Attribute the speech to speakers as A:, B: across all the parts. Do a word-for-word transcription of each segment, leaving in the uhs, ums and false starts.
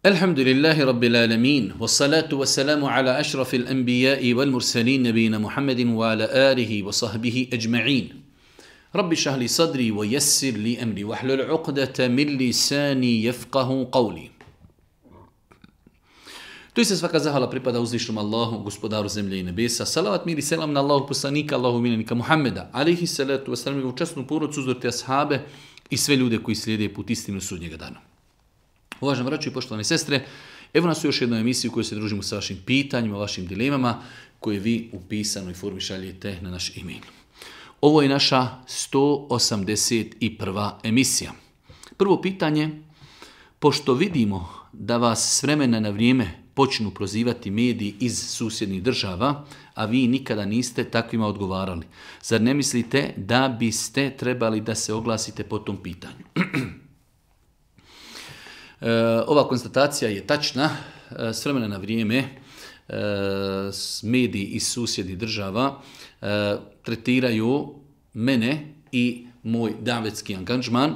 A: Alhamdulillahi Rabbil alamin, wassalatu wassalamu ala ašrafil anbiya'i wal mursalin nabina Muhammedin wa ala alihi wa sahbihi ajma'in. Rabbi šahli sadri wa yassir li amri wa hlul uqdata min lisani yafqahu qawli. Tu se svaka zahvala pripada uzvišnom Allahu, gospodaru zemlje i nebesa. Salavat, mir i selam na Allahu poslanika, Allahu miljenika Muhammeda, alihi salatu wassalam, u časnu porodcu, uzorite ashabe i sve ljude koji slijede put istinu sudnjega dana. Uvaženi braćo i poštovane sestre, evo nas u još jednoj emisiji u kojoj se družimo sa vašim pitanjima, vašim dilemama, koje vi u pisanoj formi šaljete na naš e-mail. Ovo je naša sto osamdeset prva emisija. Prvo pitanje, pošto vidimo da vas s vremena na vrijeme počnu prozivati mediji iz susjednih država, a vi nikada niste takvima odgovarali, zar ne mislite da biste trebali da se oglasite po tom pitanju? E, ova konstatacija je tačna. E, s vremena na vrijeme e, mediji iz susjednih država e, tretiraju mene i moj davetski angažman.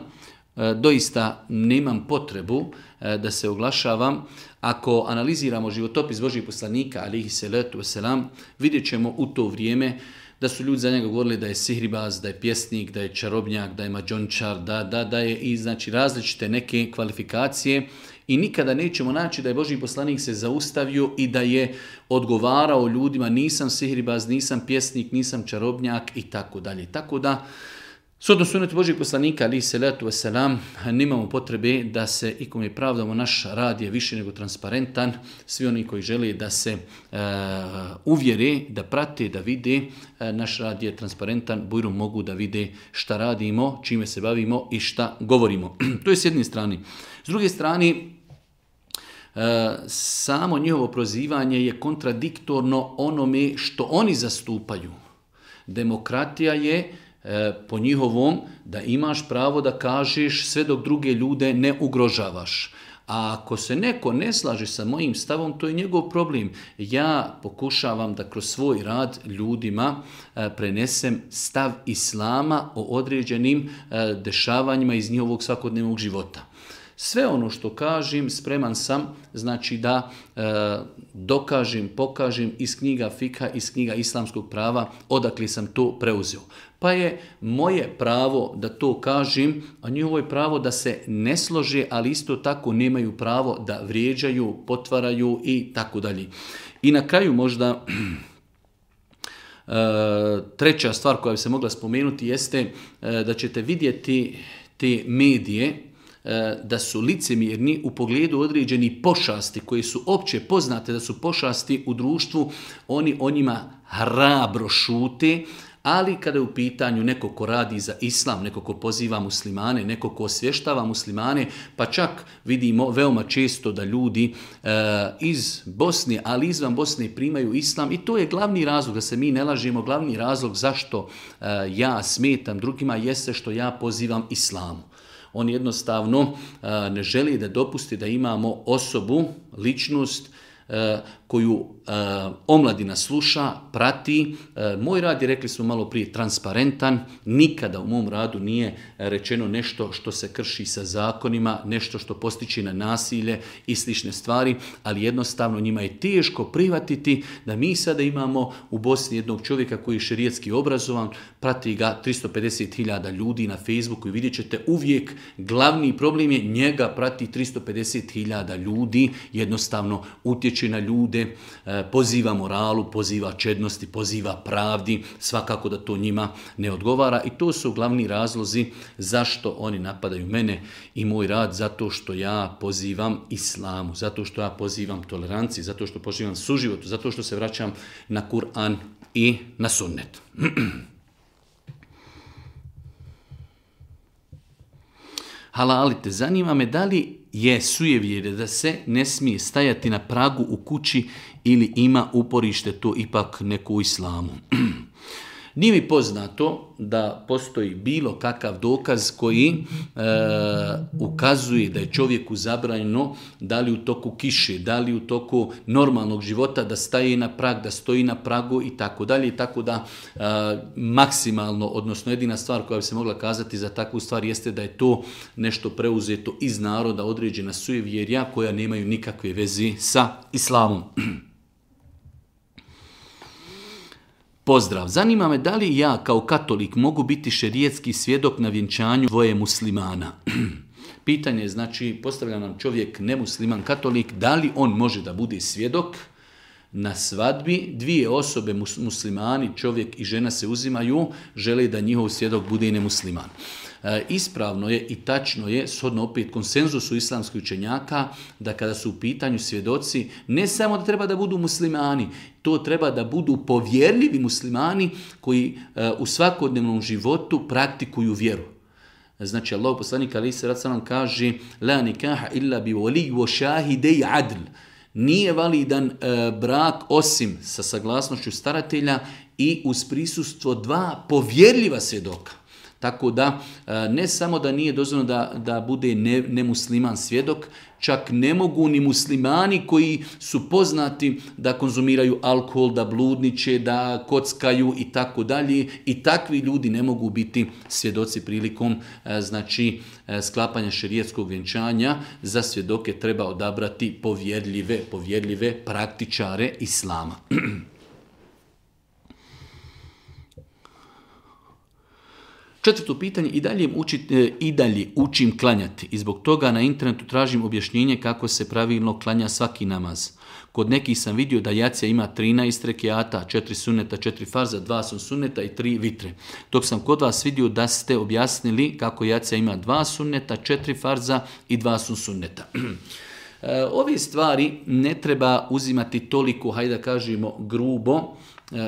A: E, doista nemam potrebu e, da se oglašavam. Ako analiziramo životopis Božjih poslanika, alihi salatu wasalam, vidjet ćemo u to vrijeme da su ljudi za njega govorili da je sihribaz, da je pjesnik, da je čarobnjak, da je mađončar, da, da, da je i znači različite neke kvalifikacije i nikada nećemo naći da je Božji poslanik se zaustavio i da je odgovarao ljudima nisam sihribaz, nisam pjesnik, nisam čarobnjak i tako dalje. Tako da, shodno sunnetu Božjih poslanika, alihi salatu wasalam, nemamo potrebe da se ikome pravdamo, naš rad je više nego transparentan. Svi oni koji žele da se uh, uvjere, da prate, da vide, uh, naš rad je transparentan, bujrom mogu da vide šta radimo, čime se bavimo i šta govorimo. To je s jedne strane. S druge strane, uh, samo njihovo prozivanje je kontradiktorno onome što oni zastupaju. Demokratija je po njihovom da imaš pravo da kažeš sve dok druge ljude ne ugrožavaš. A ako se neko ne slaže sa mojim stavom, to je njegov problem. Ja pokušavam da kroz svoj rad ljudima prenesem stav islama o određenim dešavanjima iz njihovog svakodnevnog života. Sve ono što kažem, spreman sam, znači da e, dokažem, pokažem iz knjiga fikha, iz knjiga islamskog prava, odakle sam to preuzeo. Pa je moje pravo da to kažem, a njihovo je pravo da se ne slože, ali isto tako nemaju pravo da vrijeđaju, potvaraju i tako dalje. I na kraju možda e, treća stvar koja bi se mogla spomenuti jeste e, da ćete vidjeti te medije da su licemjerni u pogledu određenih pošasti koje su opće poznate da su pošasti u društvu, oni o njima hrabro šute, ali kada je u pitanju neko ko radi za islam, neko ko poziva muslimane, neko ko osvještava muslimane, pa čak vidimo veoma često da ljudi e, iz Bosne, ali izvan Bosne primaju islam i to je glavni razlog, da se mi ne lažemo, glavni razlog zašto e, ja smetam drugima jeste što ja pozivam islamu. On jednostavno uh, ne želi da dopusti da imamo osobu, ličnost uh, koju uh, omladina sluša, prati. Uh, moj rad je, rekli smo malo prije, transparentan. Nikada u mom radu nije rečeno nešto što se krši sa zakonima, nešto što postiče na nasilje i slične stvari, ali jednostavno njima je teško prihvatiti da mi sada imamo u Bosni jednog čovjeka koji je šerijetski obrazovan, prati ga tristo pedeset hiljada ljudi na Facebooku i vidjet ćete uvijek glavni problem je njega prati tristo pedeset hiljada ljudi, jednostavno utječe na ljude, poziva moralu, poziva čednosti, poziva pravdi, svakako da to njima ne odgovara i to su glavni razlozi zašto oni napadaju mene i moj rad, zato što ja pozivam islamu, zato što ja pozivam toleranciji, zato što pozivam suživotu, zato što se vraćam na Kur'an i na sunnet. Halalite, zanima me da li je sujevjerje da se ne smije stajati na pragu u kući ili ima uporište to ipak neko u islamu. Nije mi poznato da postoji bilo kakav dokaz koji e, ukazuje da je čovjeku zabranjeno da li u toku kiše, da li u toku normalnog života da staje na prag, da stoji na pragu i tako dalje. I tako da e, maksimalno, odnosno jedina stvar koja bi se mogla kazati za takvu stvar jeste da je to nešto preuzeto iz naroda, određena sujevjerja koja nemaju nikakve veze sa islamom. Pozdrav. Zanima me da li ja kao katolik mogu biti šerijetski svjedok na vjenčanju dvoje muslimana. Pitanje je, znači, postavlja nam čovjek nemusliman katolik, da li on može da bude svjedok na svadbi, dvije osobe muslimani, čovjek i žena se uzimaju, žele da njihov svjedok bude i nemusliman. E, ispravno je i tačno je, shodno opet konsenzusu islamskih učenjaka, da kada su u pitanju svjedoci, ne samo da treba da budu muslimani, to treba da budu povjerljivi muslimani koji e, u svakodnevnom životu praktikuju vjeru. Znači, Allah poslanik alejhi selatu selam kaže: la nikaha illa bi wali wa shahidai adl. Nije validan e, brak osim sa saglasnošću staratelja i uz prisustvo dva povjerljiva svjedoka. Tako da e, ne samo da nije dozvoljeno da, da bude ne, nemusliman svjedok, čak ne mogu ni muslimani koji su poznati da konzumiraju alkohol, da bludniče, da kockaju i tako dalje. I takvi ljudi ne mogu biti svjedoci prilikom e, znači, e, sklapanja šerijetskog vjenčanja. Za svjedoke treba odabrati povjerljive, povjerljive praktičare islama. Četvrto pitanje, i dalje, uči, i dalje učim klanjati i zbog toga na internetu tražim objašnjenje kako se pravilno klanja svaki namaz. Kod nekih sam vidio da jacija ima trinaest rekiata, četiri sunneta, četiri farza, dva sunneta i tri vitre. Dok sam kod vas vidio da ste objasnili kako jacija ima dva sunneta, četiri farza i dva sunneta. Ove stvari ne treba uzimati toliko, hajde da kažemo, grubo.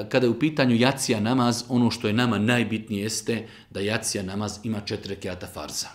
A: Kada je u pitanju jacija namaz, ono što je nama najbitnije jeste da jacija namaz ima četiri rekiata farza.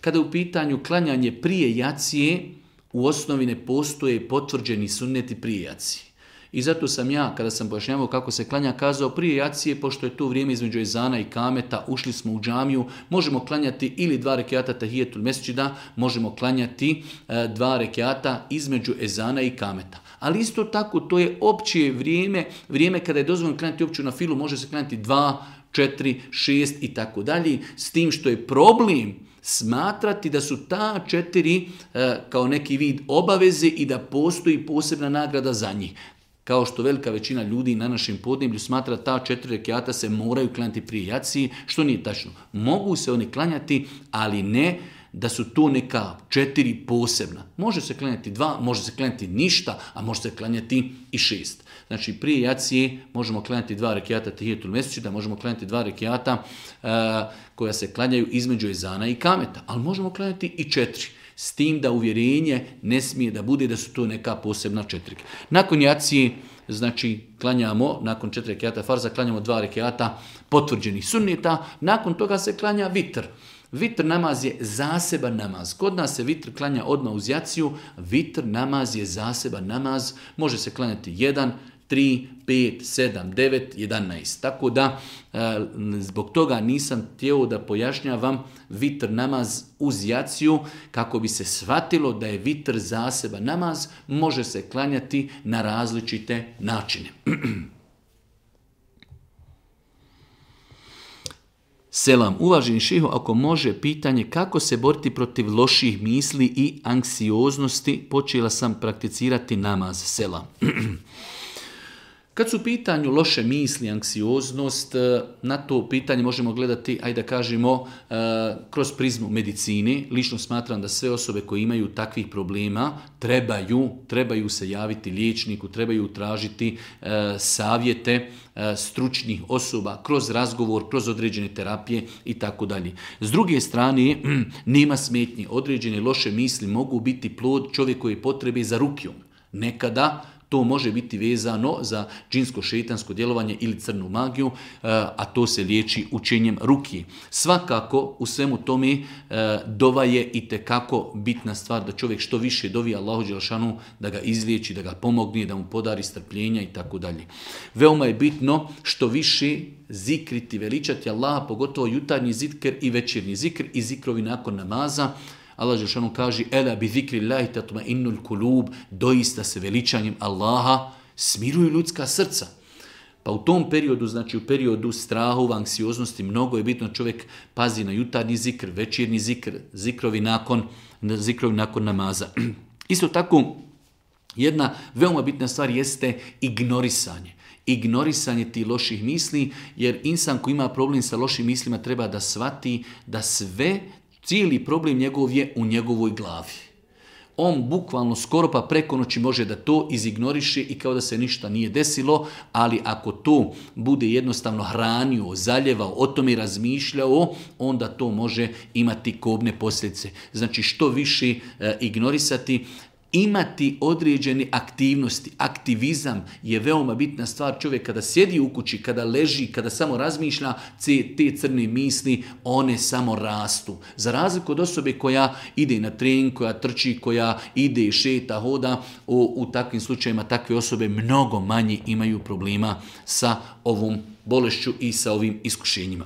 A: Kada je u pitanju klanjanje prije jacije, u osnovi ne postoje potvrđeni sunneti prije jacije. I zato sam ja, kada sam pojašnjavao kako se klanja, kazao prije jacije, pošto je to vrijeme između ezana i kameta, ušli smo u džamiju, možemo klanjati ili dva rekiata tahijetul mesdžida, možemo klanjati e, dva rekiata između ezana i kameta. Ali isto tako, to je opće vrijeme, vrijeme kada je dozvoljeno klanjati opću na filu, može se klanjati dva, četiri, šest i tako dalje, s tim što je problem smatrati da su ta četiri e, kao neki vid obaveze i da postoji posebna nagrada za njih. Kao što velika većina ljudi na našem podneblju smatra da ta četiri rekiata se moraju klanjati prije jacije, što nije tačno. Mogu se oni klanjati, ali ne da su to neka četiri posebna. Može se klanjati dva, može se klanjati ništa, a može se klanjati i šest. Znači prije jacije možemo klanjati dva rekiata tahijetul mesdžida, možemo klanjati dva rekiata uh, koja se klanjaju između ezana i kameta, ali možemo klanjati i četiri. S tim da uvjerenje ne smije da bude da su to neka posebna četiri. Nakon jacije, znači, klanjamo, nakon četiri rekiata farza, klanjamo dva rekiata potvrđenih sunneta, nakon toga se klanja vitr. Vitr namaz je zaseban namaz. Kod nas se vitr klanja odmah uz jaciju, vitr namaz je zaseban namaz, može se klanjati jedan, tri, pet, sedam, devet, jedanaest. Tako da, zbog toga nisam htio da pojašnjavam vitr namaz uz jaciju, kako bi se shvatilo da je vitr zaseban namaz, može se klanjati na različite načine. Selam, uvaženi šeho, ako može pitanje kako se boriti protiv loših misli i anksioznosti, počela sam prakticirati namaz. Selam. Kad su u pitanju loše misli, anksioznost, na to pitanje možemo gledati, ajde da kažemo, kroz prizmu medicine. Lično smatram da sve osobe koje imaju takvih problema trebaju, trebaju se javiti liječniku, trebaju tražiti savjete stručnih osoba kroz razgovor, kroz određene terapije i tako dalje. S druge strane, nema smetnji. Određene loše misli mogu biti plod čovjekove potrebe za rukijom. Nekada to može biti vezano za džinsko-šeitansko djelovanje ili crnu magiju, a to se liječi učenjem ruki. Svakako u svemu tome dova je itekako bitna stvar da čovjek što više dovi Allahu dželešanu da ga izliječi, da ga pomogne, da mu podari strpljenja i tako dalje. Veoma je bitno što više zikriti, veličati Allaha, pogotovo jutarnji zikr i večernji zikr i zikrovi nakon namaza. Allah dželešanu kaže: "Ela bi zikrillahi tatma'innul kulub", doista se veličanjem Allaha smiruju ljudska srca. Pa u tom periodu, znači u periodu strahova, anksioznosti, mnogo je bitno čovjek pazi na jutarnji zikr, večernji zikr, zikrovi nakon, zikrovi nakon namaza. Isto tako, jedna veoma bitna stvar jeste ignorisanje. Ignorisanje tih loših misli, jer insan koji ima problem sa lošim mislima treba da shvati da sve, cijeli problem njegov je u njegovoj glavi. On bukvalno skoro pa preko noći može da to izignoriše i kao da se ništa nije desilo, ali ako to bude jednostavno hranio, zaljevao, o tome razmišljao, onda to može imati kobne posljedice. Znači što više e, ignorisati, imati određene aktivnosti. Aktivizam je veoma bitna stvar. Čovjek kada sjedi u kući, kada leži, kada samo razmišlja, te crne misli, one samo rastu. Za razliku od osobe koja ide na trening, koja trči, koja ide, šeta, hoda, u, u takvim slučajima takve osobe mnogo manje imaju problema sa ovom bolešću i sa ovim iskušenjima.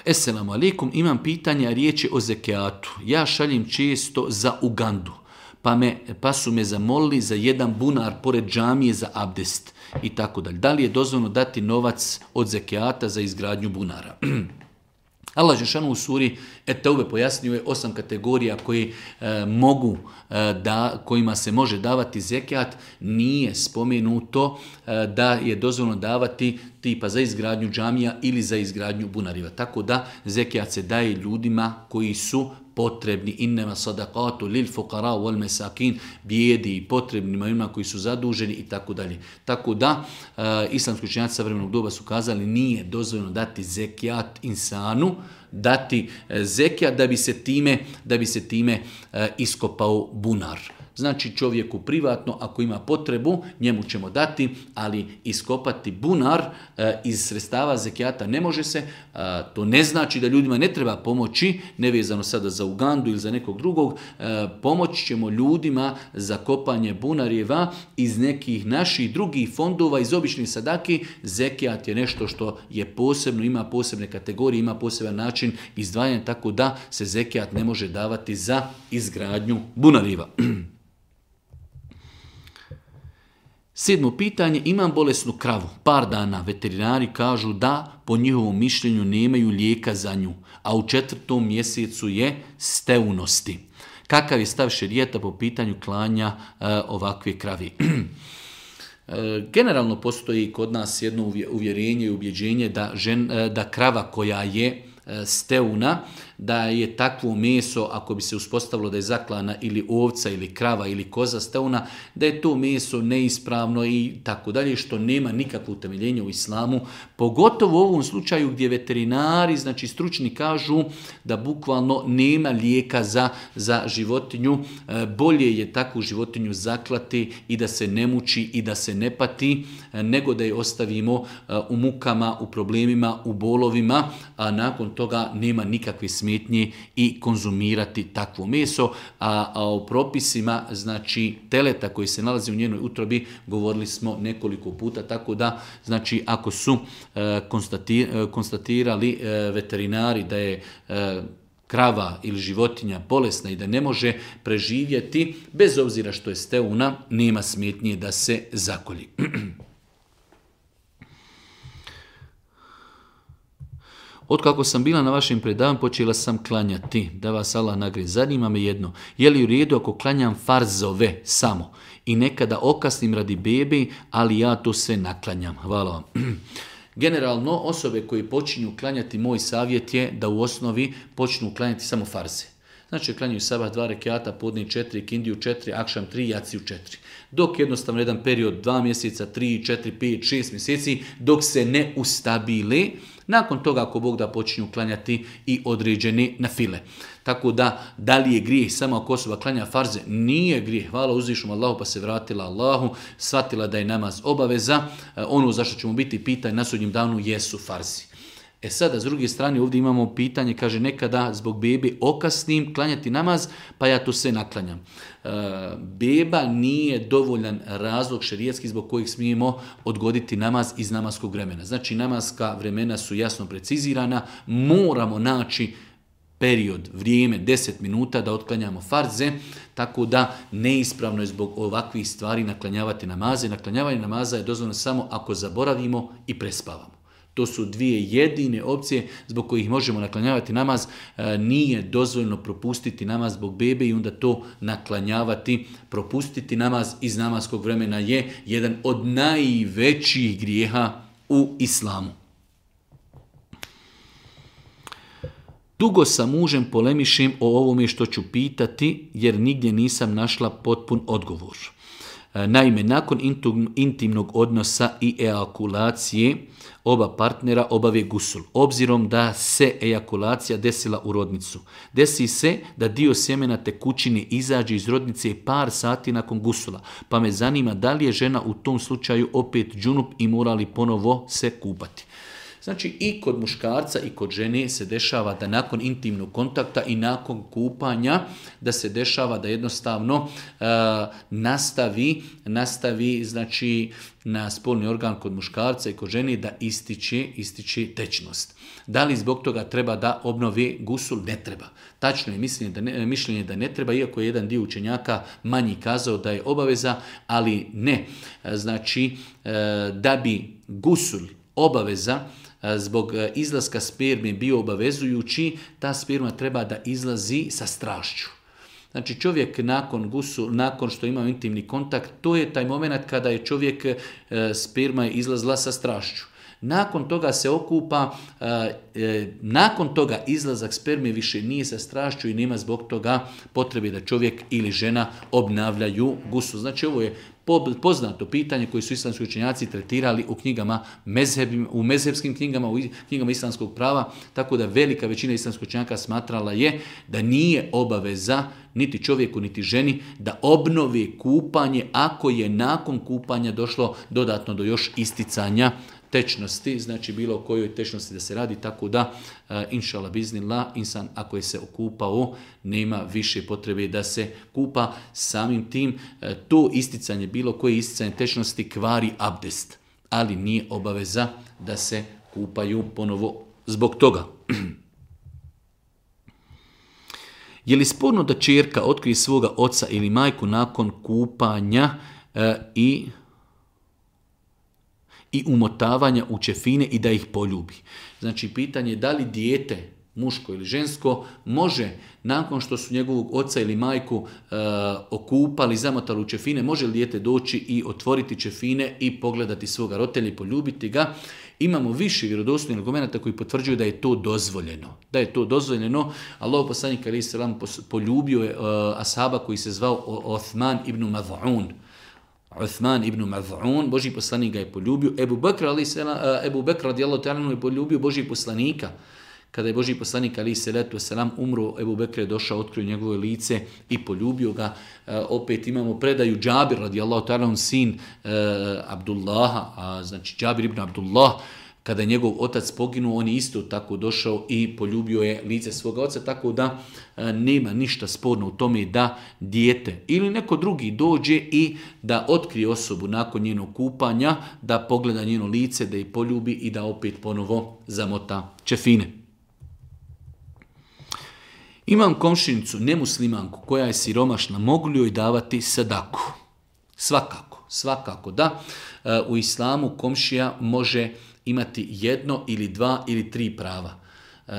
A: Esselamu alaikum, imam pitanje, a riječ je o zekijatu. Ja šaljem često za Ugandu, pa, me, pa su me zamolili za jedan bunar pored džamije za abdest i tako dalje. Da li je dozvoljeno dati novac od zekijata za izgradnju bunara? Allah dželešanu u suri Et-Teube pojasnio je osam kategorija koje e, mogu e, da, kojima se može davati zekijat. Nije spomenuto e, da je dozvoljeno davati tipa za izgradnju džamija ili za izgradnju bunariva. Tako da zekijat se daje ljudima koji su potrebni. Innema sadaqatu lil fuqara wal masakin, bijedi i potrebnima, ima koji su zaduženi i tako dalje. Tako da e, islamski učenjaci savremenog doba su kazali nije dozvoljeno dati zekijat insanu, dati e, zekijat da bi se time da bi se time e, iskopao bunar. Znači čovjeku privatno, ako ima potrebu, njemu ćemo dati, ali iskopati bunar e, iz sredstava zekijata ne može se. E, to ne znači da ljudima ne treba pomoći, nevezano sada za Ugandu ili za nekog drugog. E, pomoći ćemo ljudima za kopanje bunarjeva iz nekih naših drugih fondova, iz običnih sadaki. Zekijat je nešto što je posebno, ima posebne kategorije, ima poseban način izdvajanja, tako da se zekijat ne može davati za izgradnju bunarjeva. Sedmo pitanje, imam bolesnu kravu, par dana, veterinari kažu da po njihovom mišljenju nemaju lijeka za nju, a u četvrtom mjesecu je steunosti. Kakav je stav šerijata po pitanju klanja e, ovakve kravi? E, generalno postoji kod nas jedno uvjerenje i ubjeđenje da, žen, e, da krava koja je steuna, da je takvo meso, ako bi se uspostavilo da je zaklana ili ovca ili krava ili koza steuna, da je to meso neispravno i tako dalje, što nema nikakvo utemeljenje u islamu, pogotovo u ovom slučaju gdje veterinari, znači stručni, kažu da bukvalno nema lijeka za, za životinju, bolje je takvu životinju zaklati i da se ne muči i da se ne pati, nego da je ostavimo u mukama, u problemima, u bolovima, a nakon toga nema nikakve smetnje i konzumirati takvo meso. A, a o propisima, znači teleta koji se nalazi u njenoj utrobi, govorili smo nekoliko puta, tako da, znači ako su e, konstati, e, konstatirali e, veterinari da je e, krava ili životinja bolesna i da ne može preživjeti, bez obzira što je steuna, nema smetnje da se zakolji. Otkako sam bila na vašem predavanju, počela sam klanjati. Da vas Allah nagradi. Zanima me jedno. Je li u redu ako klanjam farzove samo i nekada okasnim radi bebe, ali ja to sve naklanjam? Hvala vam. Generalno, osobe koji počinju klanjati, moj savjet je da u osnovi počnu klanjati samo farze. Znači klanjaju sabah dva rekiata, podne četiri, kindiju četiri, akšam tri, jaciju četiri. Dok jednostavno jedan period dva mjeseca, tri, četiri, pet, šest mjeseci, dok se ne ustabile, nakon toga ako Bog da počinju klanjati i određene nafile. Tako da, da li je grijeh samo ako osoba klanja farze? Nije grijeh. Hvala uzvišnom Allahu pa se vratila Allahu, shvatila da je namaz obaveza. Ono zašto ćemo biti pitanje na sudnjem danu jesu farzi. E sada, s druge strane, ovdje imamo pitanje, kaže nekada zbog bebe okasnim klanjati namaz, pa ja to sve naklanjam. E, beba nije dovoljan razlog šerijatski zbog kojih smijemo odgoditi namaz iz namaskog vremena. Znači, namaska vremena su jasno precizirana, moramo naći period, vrijeme, deset minuta da otklanjamo farze, tako da neispravno je zbog ovakvih stvari naklanjavati namaze. Naklanjavanje namaza je dozvoljeno samo ako zaboravimo i prespavamo. To su dvije jedine opcije zbog kojih možemo naklanjavati namaz. E, nije dozvoljeno propustiti namaz zbog bebe i onda to naklanjavati. Propustiti namaz iz namaskog vremena je jedan od najvećih grijeha u islamu. Dugo sa mužem polemišem o ovome što ću pitati jer nigdje nisam našla potpun odgovor. Naime, nakon intimnog odnosa i ejakulacije oba partnera obave gusul. Obzirom da se ejakulacija desila u rodnicu. Desi se da dio sjemena tekućine izađe iz rodnice par sati nakon gusula. Pa me zanima da li je žena u tom slučaju opet džunup i mora li ponovo se kupati. Znači i kod muškarca i kod žene se dešava da nakon intimnog kontakta i nakon kupanja da se dešava da jednostavno e, nastavi, nastavi znači na spolni organ kod muškarca i kod žene da ističe, ističe tečnost. Da li zbog toga treba da obnovi gusul? Ne treba. Tačno je mišljenje da ne, mišljenje da ne treba, iako je jedan dio učenjaka manji kazao da je obaveza, ali ne. Znači e, da bi gusul obaveza zbog izlaska sperme bio obavezujući, ta sperma treba da izlazi sa strašću. Znači čovjek nakon gusu, nakon što ima intimni kontakt, to je taj moment kada je čovjek, sperma je izlazila sa strašću. Nakon toga se okupa, nakon toga izlazak sperme više nije sa strašću i nema zbog toga potrebe da čovjek ili žena obnavljaju gusul. Znači ovo je poznato pitanje koje su islamski učenjaci tretirali u knjigama mezheb, u mezhebskim knjigama, u knjigama islamskog prava, tako da velika većina islamskih učenjaka smatrala je da nije obaveza niti čovjeku niti ženi da obnovi kupanje ako je nakon kupanja došlo dodatno do još isticanja tečnosti, znači bilo o kojoj tečnosti da se radi, tako da uh, inšallah biznillah, insan ako je se okupao nema više potrebe da se kupa. Samim tim uh, to isticanje, bilo koje isticanje tečnosti kvari abdest, ali nije obaveza da se kupaju ponovo zbog toga. Je li sporno da ćerka otkrije svoga oca ili majku nakon kupanja uh, i i umotavanja u čefine i da ih poljubi? Znači, pitanje je da li dijete, muško ili žensko, može, nakon što su njegovog oca ili majku e, okupali, zamotali u čefine, može li dijete doći i otvoriti čefine i pogledati svoga roditelja i poljubiti ga? Imamo više vjerodostojnih argumenata koji potvrđuju da je to dozvoljeno. Da je to dozvoljeno. Allahov poslanik alejhi selam poljubio je e, ashaba koji se zvao Othman ibn Maz'un. Uthman ibn Maz'un, Božji poslanik ga je poljubio. Ebu Bekr, Ebu Bekr radijallahu ta'ala je poljubio Božji poslanika. Kada je Božji poslanik alejhi selatu vesselam umro, Ebu Bekr je došao, otkrio njegovo lice i poljubio ga. E, opet imamo predaju Džabir radijallahu ta'ala, sin e, Abdullaha, a znači Džabir ibn Abdullah, kada je njegov otac poginuo, on je isto tako došao i poljubio je lice svoga oca, tako da e, nema ništa sporno u tome da dijete ili neko drugi dođe i da otkrije osobu nakon njenog kupanja, da pogleda njeno lice, da je poljubi i da opet ponovo zamota čefine. Imam komšinicu, nemuslimanku, koja je siromašna, mogu li joj davati sadaku? Svakako, svakako da. E, u islamu komšija može imati jedno ili dva ili tri prava. E,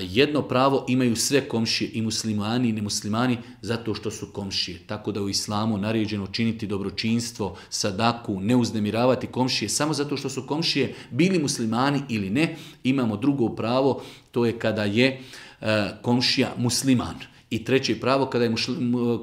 A: jedno pravo imaju sve komšije, i muslimani i nemuslimani, zato što su komšije. Tako da u islamu naređeno činiti dobročinstvo, sadaku, ne uznemiravati komšije samo zato što su komšije, bili muslimani ili ne. Imamo drugo pravo, to je kada je e, komšija musliman. I treće pravo kada je mušli,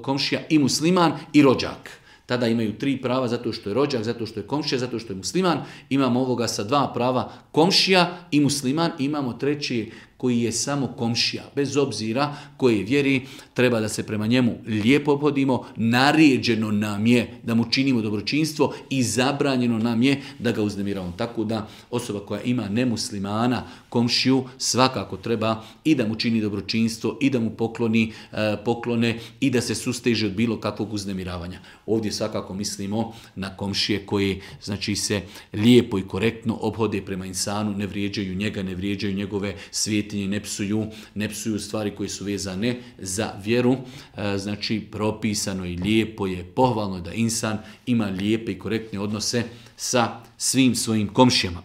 A: komšija i musliman i rođak. Tada imaju tri prava zato što je rođak, zato što je komšija, zato što je musliman. Imamo ovoga sa dva prava, komšija i musliman. Imamo treći koji je samo komšija. Bez obzira koje vjeri, treba da se prema njemu lijepo obhodimo. Naređeno nam je da mu činimo dobročinstvo i zabranjeno nam je da ga uznemiravamo. Tako da osoba koja ima nemuslimana, komšiju, svakako treba i da mu čini dobročinstvo i da mu pokloni e, poklone i da se susteže od bilo kakvog uznemiravanja. Ovdje svakako mislimo na komšije koji znači se lijepo i korektno obhode prema insanu, ne vrijeđaju njega, ne vrijeđaju njegove svijetinje, ne psuju, ne psuju stvari koje su vezane za vjeru. E, znači propisano i lijepo je, pohvalno je da insan ima lijepe i korektne odnose sa svim svojim komšijama.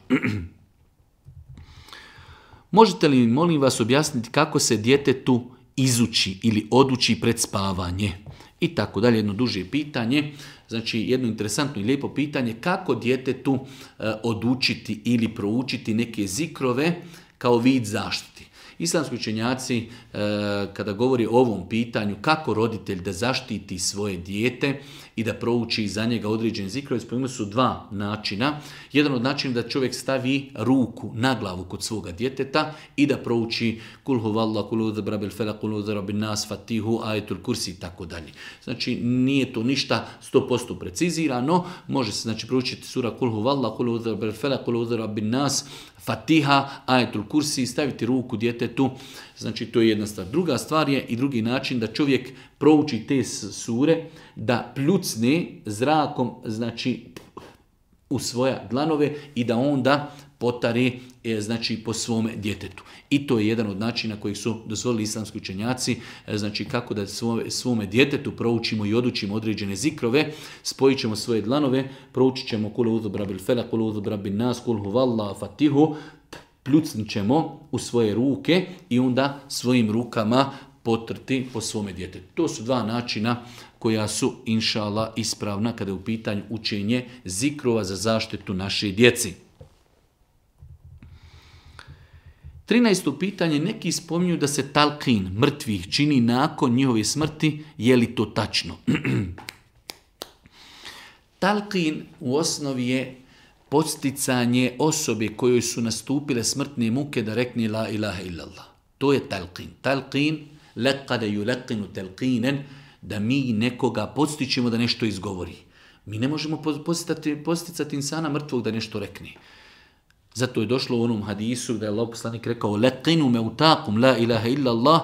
A: Možete li mi, molim vas, objasniti kako se djetetu izuči ili oduči pred spavanje? I tako dalje, jedno duže pitanje. Znači, jedno interesantno i lijepo pitanje, kako djetetu e, odučiti ili proučiti neke zikrove kao vid zaštiti. Islamski učenjaci, e, kada govori o ovom pitanju, kako roditelj da zaštiti svoje dijete i da prouči za njega određene zikrove, spomenuli su dva načina. Jedan od načina da čovjek stavi ruku na glavu kod svoga djeteta i da prouči kul huvallah, kul udhu birabil felak, kul udhu birabil nas, fatihu, ajetul kursi i tako dalje. Znači, nije to ništa sto posto precizirano, može se znači proučiti sura kul huvallah, kul udhu birabil felak, kul udhu birabil nas, Fatiha, ajetul kursi, staviti ruku djetetu, znači to je jedna stvar. Druga stvar je i drugi način da čovjek prouči te sure, da pljucne zrakom, znači u svoja dlanove i da onda potare znači po svome djetetu. I to je jedan od načina kojih su dozvolili islamski učenjaci, znači kako da svome, svome djetetu proučimo i odučimo određene zikrove, spojit ćemo svoje dlanove, proučit ćemo kul udhu birabil felak, kul udhu birabil nas, kul huvallah, fatihu, pljucnit ćemo u svoje ruke i onda svojim rukama potrti po svome djetetu. To su dva načina koja su, inša Allah, ispravna kada je u pitanju učenje zikrova za zaštitu naše djeci. trinaesto pitanje, neki spominju da se talqin mrtvih čini nakon njihove smrti, je li to tačno? Talqin u osnovi je podsticanje osobe kojoj su nastupile smrtne muke da rekne la ilaha illallah. To je talqin. Talqin, laqada yulaqinu talqinen, da mi nekoga podstičemo da nešto izgovori. Mi ne možemo podsticati insana mrtvog da nešto rekne. Zato je došlo u onom hadisu da je Allah poslanik rekao laqinu mautakum la ilaha illa Allah,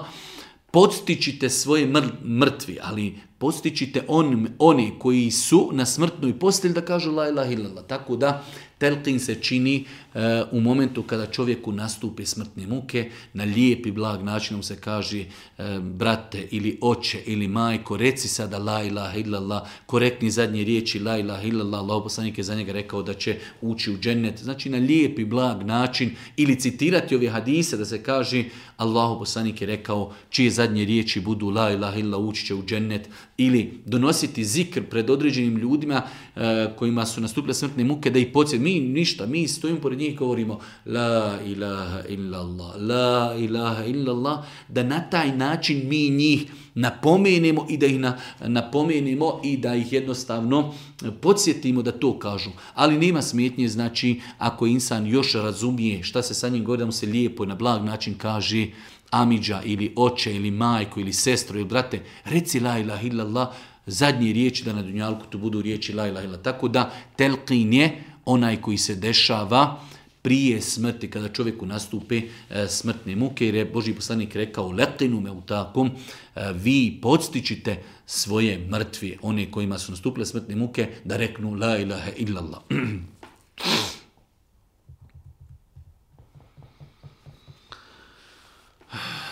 A: podstičite svoje mr- mrtvi, ali podstičite on, oni koji su na smrtnoj postelji da kažu la ilaha illa Allah. Tako da telqin se čini uh, u momentu kada čovjeku nastupe smrtne muke, na lijep i blag način se kaže uh, brate ili oče ili majko, reci sada la ilaha illallah, korektni zadnje riječi la ilaha illallah, Allah poslanik je za njega rekao da će ući u džennet. Znači na lijep i blag način ili citirati ove hadise da se kaže Allah poslanik je rekao čije zadnje riječi budu la ilaha illallah ući će u džennet, ili donositi zikr pred određenim ljudima uh, kojima su nastupile smrtne muke da ih podsjeti. Mi ništa, mi stojimo pored njih i govorimo la ilaha illallah, la ilaha illallah, da na taj način mi njih napomenemo i da ih na, napomenemo i da ih jednostavno podsjetimo da to kažu. Ali nema smetnje, znači ako insan još razumije šta se sa njim govori, da mu se lijepo i na blag način kaže amidža ili oče ili majko ili sestro ili brate, reci la ilaha illallah, zadnje riječi da na dunjalku tu budu riječi la ilaha illallah. Tako da telqin je onaj koji se dešava prije smrti, kada čovjeku nastupe e, smrtne muke, jer je Božji poslanik rekao laqinu mautakum, e, vi podstičite svoje mrtve, one kojima su nastupile smrtne muke, da reknu la ilaha illallah.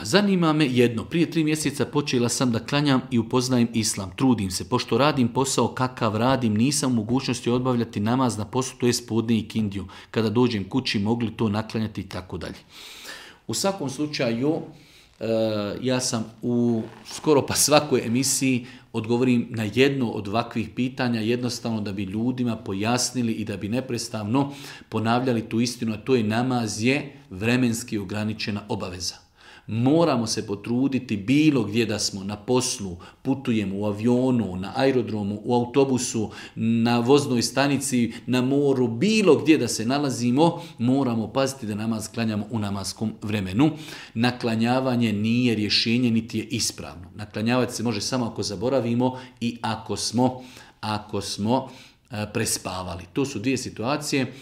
A: Zanima me jedno, prije tri mjeseca počela sam da klanjam i upoznajem islam, trudim se, pošto radim posao kakav radim, nisam u mogućnosti obavljati namaz na poslu, to je podne i kindiju, kada dođem kući mogli to naklanjati i tako dalje. U svakom slučaju, ja sam u skoro pa svakoj emisiji odgovorim na jedno od ovakvih pitanja, jednostavno da bi ljudima pojasnili i da bi neprestano ponavljali tu istinu, a to je namaz je vremenski ograničena obaveza. Moramo se potruditi bilo gdje da smo, na poslu, putujemo u avionu, na aerodromu, u autobusu, na voznoj stanici, na moru, bilo gdje da se nalazimo, moramo paziti da namaz klanjamo u namaskom vremenu. Naklanjavanje nije rješenje, niti je ispravno. Naklanjavati se može samo ako zaboravimo i ako smo, ako smo prespavali. To su dvije situacije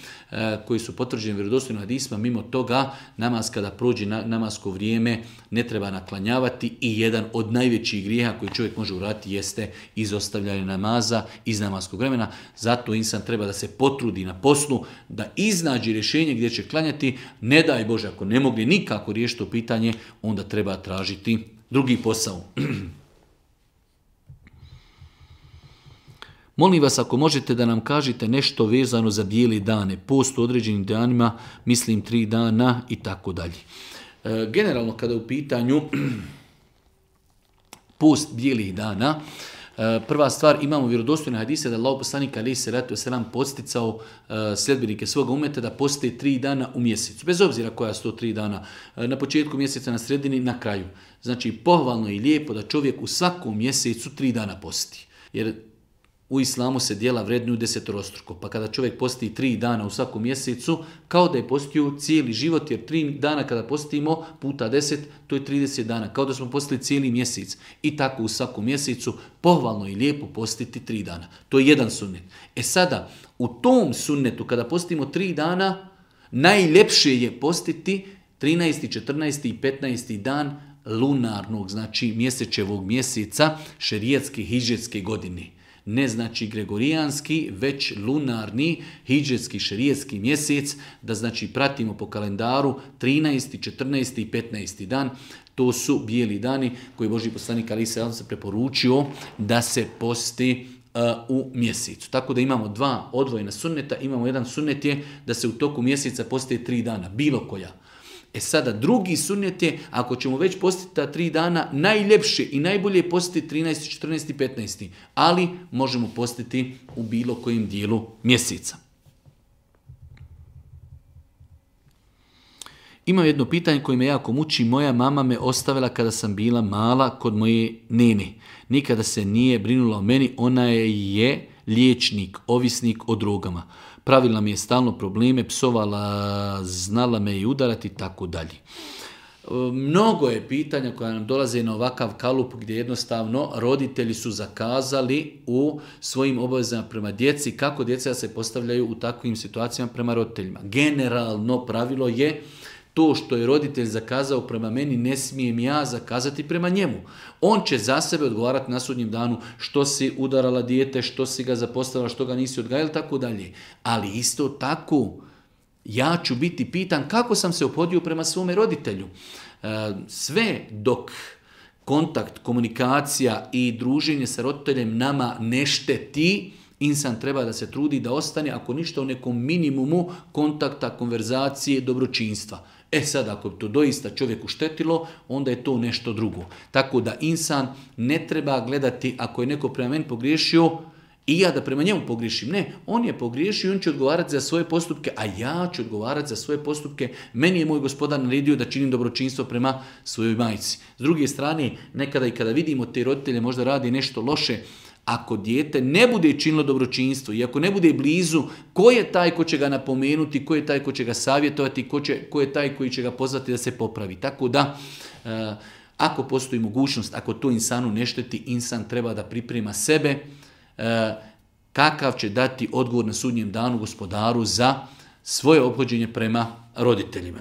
A: koje su potvrđene vjerodostojnim hadisima. Mimo toga, namaz kada prođe na, namasko vrijeme ne treba naklanjavati i jedan od najvećih grijeha koji čovjek može uraditi jeste izostavljanje namaza iz namaskog vremena. Zato insan treba da se potrudi na poslu, da iznađe rješenje gdje će klanjati. Ne daj Bože, ako ne mogli nikako riješiti to pitanje, onda treba tražiti drugi posao. Molim vas ako možete da nam kažete nešto vezano za bijele dane, post u određenim danima, mislim tri dana i tako dalje. Generalno kada u pitanju post bijelih dana, prva stvar, imamo vjerodostojne hadise da Allah poslanik alejhi selatu vesselam podsticao sljedbenike svoga umeta da poste tri dana u mjesecu. Bez obzira koja su to tri dana, na početku mjeseca, na sredini, na kraju. Znači pohvalno i lijepo da čovjek u svakom mjesecu tri dana posti. Jer u islamu se dijela vrednuju desetorostruko, pa kada čovjek posti tri dana u svakom mjesecu, kao da je postio cijeli život, jer tri dana kada postimo puta deset, to je trideset dana, kao da smo postili cijeli mjesec. I tako u svakom mjesecu pohvalno i lijepo postiti tri dana. To je jedan sunnet. E sada, u tom sunnetu kada postimo tri dana, najljepše je postiti trinaesti, četrnaesti i petnaesti dan lunarnog, znači mjesečevog mjeseca šerijatske hidžetske godine. Ne znači gregorijanski, već lunarni, hidžetski, šerijetski mjesec, da znači pratimo po kalendaru trinaesti, četrnaesti i petnaesti dan. To su bijeli dani koji Božji poslanik alejhi selatu vesselam se preporučio da se posti uh, u mjesecu. Tako da imamo dva odvojena sunneta, imamo jedan sunnet je da se u toku mjeseca posti tri dana, bilo koja. E sada, drugi sunnet je, ako ćemo već postiti ta tri dana, najljepše i najbolje je postiti trinaesti, četrnaesti i petnaesti. Ali možemo postiti u bilo kojem dijelu mjeseca. Imam jedno pitanje koje me jako muči. Moja mama me ostavila kada sam bila mala kod moje nene. Nikada se nije brinula o meni, ona je liječnik, ovisnik o drogama. Pravila mi je stalno probleme, psovala, znala me i udarati i tako dalje. Mnogo je pitanja koja nam dolaze na ovakav kalup gdje jednostavno roditelji su zakazali u svojim obavezama prema djeci kako djeca se postavljaju u takvim situacijama prema roditeljima. Generalno pravilo je to što je roditelj zakazao prema meni, ne smijem ja zakazati prema njemu. On će za sebe odgovarati na sudnjem danu što si udarala dijete, što si ga zapostavila, što ga nisi odgajala, tako dalje. Ali isto tako, ja ću biti pitan kako sam se ophodio prema svome roditelju. Sve dok kontakt, komunikacija i druženje sa roditeljem nama ne šteti, insan treba da se trudi da ostane, ako ništa, u nekom minimumu kontakta, konverzacije, dobročinstva. E sad, ako bi to doista čovjeku štetilo, onda je to nešto drugo. Tako da insan ne treba gledati, ako je neko prema meni pogriješio, i ja da prema njemu pogriješim. Ne, on je pogriješio i on će odgovarati za svoje postupke, a ja ću odgovarati za svoje postupke. Meni je moj gospodar naredio da činim dobročinstvo prema svojoj majci. S druge strane, nekada i kada vidimo te roditelje možda radi nešto loše, ako dijete ne bude činilo dobročinstvo i ako ne bude blizu, ko je taj ko će ga napomenuti, ko je taj ko će ga savjetovati, ko, će, ko je taj koji će ga pozvati da se popravi. Tako da, e, ako postoji mogućnost, ako to insanu ne šteti, insan treba da priprema sebe e, kakav će dati odgovor na sudnjem danu gospodaru za svoje ophođenje prema roditeljima.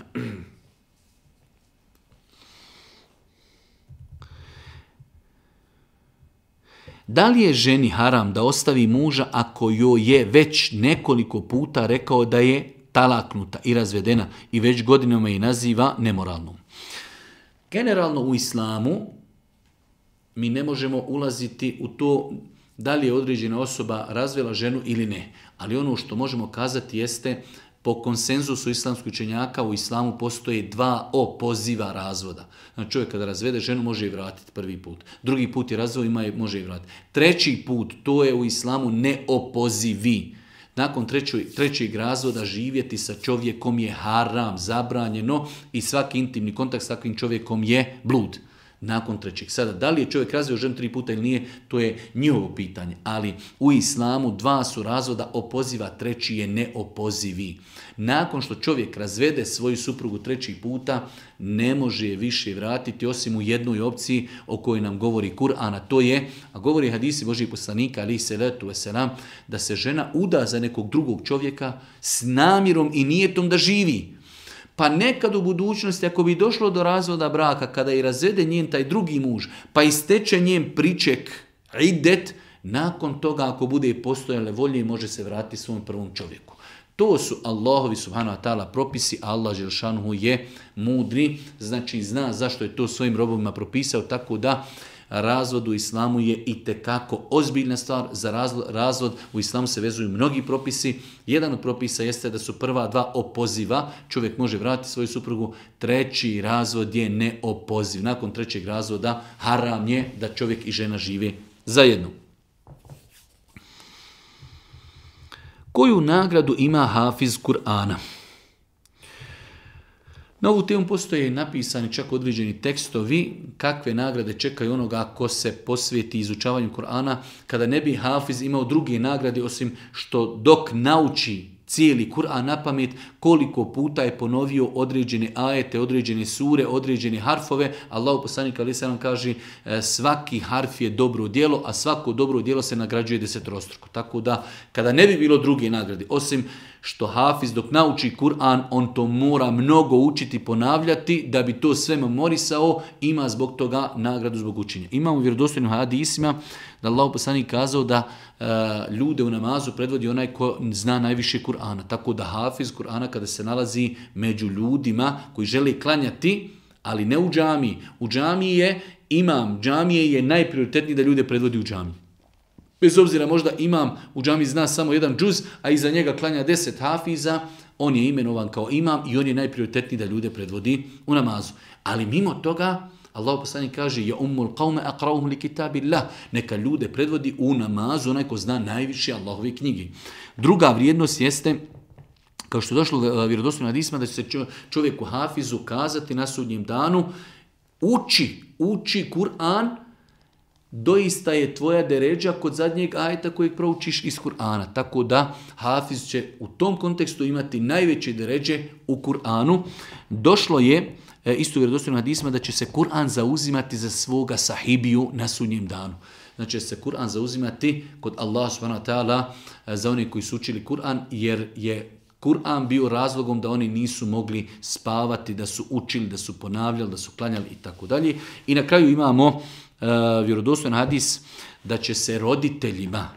A: Da li je ženi haram da ostavi muža ako joj je već nekoliko puta rekao da je talaknuta i razvedena i već godinama je naziva nemoralnom? Generalno u islamu mi ne možemo ulaziti u to da li je određena osoba razvela ženu ili ne. Ali ono što možemo kazati jeste po konsenzusu islamskih učenjaka u islamu postoje dva opoziva razvoda. Znači čovjek kada razvede ženu može i vratiti prvi put. Drugi put je razveo ima i može i vratiti. Treći put, to je u islamu neopozivi. nakon trećoj, trećeg razvoda živjeti sa čovjekom je haram, zabranjeno i svaki intimni kontakt s takvim čovjekom je blud. Nakon trećeg. Sada, da li je čovjek razveo ženu tri puta ili nije, to je njihovo pitanje. Ali u islamu dva su razvoda opoziva, treći je neopozivi. Nakon što čovjek razvede svoju suprugu treći puta, ne može je više vratiti osim u jednoj opciji o kojoj nam govori Kur'an, a to je, a govori hadisi Božijeg poslanika, alejhi selatu vesselam, da se žena uda za nekog drugog čovjeka s namjerom i nijetom da živi. Pa nekad u budućnosti, ako bi došlo do razvoda braka, kada i razvede njen taj drugi muž, pa isteče njen priček, idet, nakon toga, ako bude postojale volje, može se vratiti svom prvom čovjeku. To su Allahovi subhanahu wa ta'ala propisi, Allah dželšanuhu je mudri, znači zna zašto je to svojim robovima propisao, tako da razvod u islamu je itekako ozbiljna stvar. Za razvod, razvod u islamu se vezuju mnogi propisi. Jedan od propisa jeste da su prva dva opoziva. Čovjek može vratiti svoju suprugu. Treći razvod je neopoziv. Nakon trećeg razvoda haram je da čovjek i žena žive zajedno. Koju nagradu ima hafiz Kur'ana? Na ovu temu postoje napisani čak određeni tekstovi kakve nagrade čekaju onoga ko se posvijeti izučavanju Kur'ana, kada ne bi hafiz imao druge nagrade osim što dok nauči cijeli Kur'an na pamet, koliko puta je ponovio određene ajete, određene sure, određene harfove. Allahu poslanik alejhi selam kaže svaki harf je dobro djelo, a svako dobro djelo se nagrađuje desetorostruko. Tako da kada ne bi bilo druge nagrade, osim što hafiz dok nauči Kur'an, on to mora mnogo učiti, ponavljati, da bi to sve memorisao, ima zbog toga nagradu zbog učenja. Imamo u vjerodostojnim hadisima da Allahu poslanik kazao da e, ljude u namazu predvodi onaj ko zna najviše Kur'ana. Tako da hafiz Kur'ana kada se nalazi među ljudima koji žele klanjati, ali ne u džamiji. U džamiji je imam, džamije je najprioritetniji da ljude predvodi u džamiji. Bez obzira možda imam u džamiji zna samo jedan džuz, a iza njega klanja deset hafiza, on je imenovan kao imam i on je najprioritetniji da ljude predvodi u namazu. Ali mimo toga, Allah poslanik kaže ja ummul qawme aqra'uhum li kitabillah, neka ljude predvodi u namazu onaj ko zna najviše Allahove knjige. Druga vrijednost jeste, kao što je došlo u vjerodostojnim hadisima, da će se čovjeku hafizu kazati na sudnjem danu, uči, uči Kur'an, doista je tvoja deređa kod zadnjeg ajeta kojeg proučiš iz Kur'ana. Tako da hafiz će u tom kontekstu imati najveće deređe u Kur'anu. Došlo je isto u vjerodostojnim hadisima da će se Kur'an zauzimati za svoga sahibiju na sudnjem danu. Znači će se Kur'an zauzimati kod Allah subhanahu wa ta'ala za one koji su učili Kur'an, jer je Kur'an bio razlogom da oni nisu mogli spavati, da su učili, da su ponavljali, da su klanjali i tako dalje. I na kraju imamo uh, vjerodostojan hadis da će se roditeljima,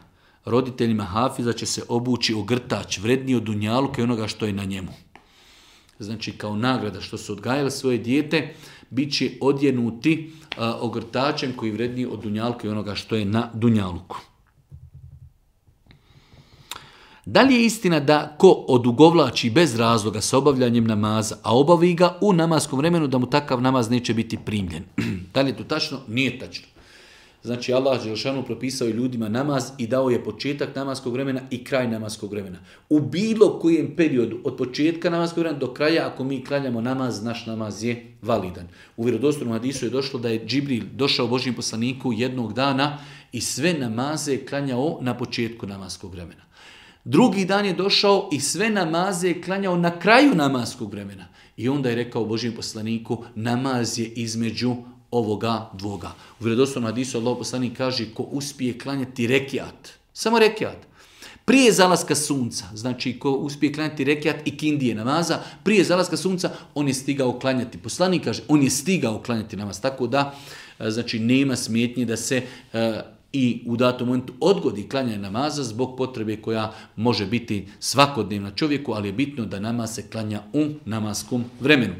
A: roditeljima hafiza će se obući ogrtač vredniji od dunjaluka i onoga što je na njemu. Znači kao nagrada što su odgajali svoje dijete, bit će odjenuti uh, ogrtačem koji je vredniji od dunjaluka i onoga što je na dunjaluku. Da li je istina da ko odugovlači bez razloga sa obavljanjem namaza, a obavi ga u namaskom vremenu, da mu takav namaz neće biti primljen? Da li je to tačno? Nije tačno. Znači Allah dželešanu propisao je ljudima namaz i dao je početak namaskog vremena i kraj namaskog vremena. U bilo kojem periodu od početka namaskog vremena do kraja, ako mi klanjamo namaz, naš namaz je validan. U vjerodostojnom hadisu je došlo da je Džibril došao Božjem poslaniku jednog dana i sve namaze je klanjao na početku namaskog vremena. Drugi dan je došao i sve namaze je klanjao na kraju namaskog vremena. I onda je rekao Božjem poslaniku, namaz je između ovoga dvoga. U vjerodostojnom hadisu Allah poslanik kaže, ko uspije klanjati rekiat, samo rekiat, prije zalaska sunca, znači ko uspije klanjati rekiat i kindije namaza, prije zalaska sunca, on je stigao klanjati. Poslanik kaže, on je stigao klanjati namaz. Tako da, znači, nema smetnje da se i u datom momentu odgodi klanjanje namaza zbog potrebe koja može biti svakodnevna čovjeku, ali je bitno da namaz se klanja u namaskom vremenu.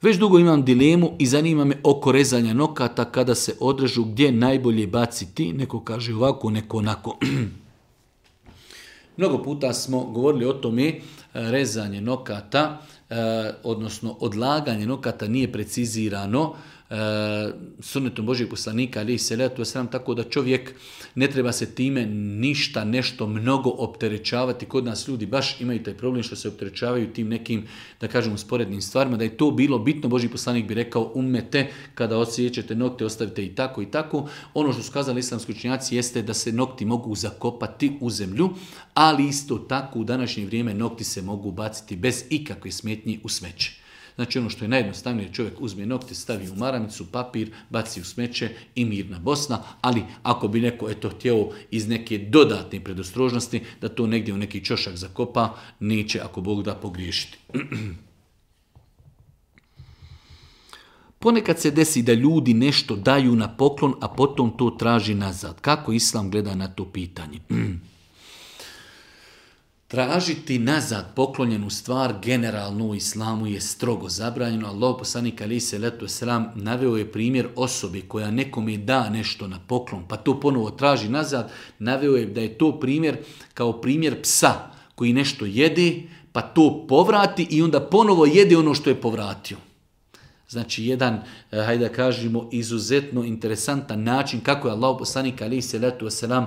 A: Već dugo imam dilemu i zanima me oko rezanja nokata kada se odrežu gdje najbolje baciti. Neko kaže ovako, neko onako. Mnogo puta smo govorili o tome, rezanje nokata. e, odnosno odlaganje nokata nije precizirano e, sunnetom Božijeg poslanika, alejhi selatu vesselam, tako da čovjek ne treba se time ništa, nešto mnogo opterećavati. Kod nas ljudi baš imaju taj problem što se opterećavaju tim nekim, da kažemo, sporednim stvarima. Da je to bilo bitno, Božji poslanik bi rekao, ummete, kada odsjećete nokte, ostavite i tako i tako. Ono što su kazali islamski učenjaci jeste da se nokti mogu zakopati u zemlju, ali isto tako u današnje vrijeme nokti se mogu baciti bez ikakve smetnje u smeće. Znači ono što je najjednostavnije, čovjek uzme nokte, stavi u maramicu, papir, baci u smeće i mirna Bosna, ali ako bi neko eto htio iz neke dodatne predostrožnosti da to negdje u neki čošak zakopa, neće ako Bog da pogriješiti. Ponekad se desi da ljudi nešto daju na poklon, a potom to traži nazad. Kako Islam gleda na to pitanje? Tražiti nazad poklonjenu stvar generalno u islamu je strogo zabranjeno. Allahov poslanik alejhi selatu vesselam naveo je primjer osobe koja nekome da nešto na poklon, pa to ponovo traži nazad. Naveo je da je to primjer kao primjer psa koji nešto jede, pa to povrati i onda ponovo jede ono što je povratio. Znači jedan, hajde da kažemo, izuzetno interesantan način kako je Allahov poslanik alejhi selatu vesselam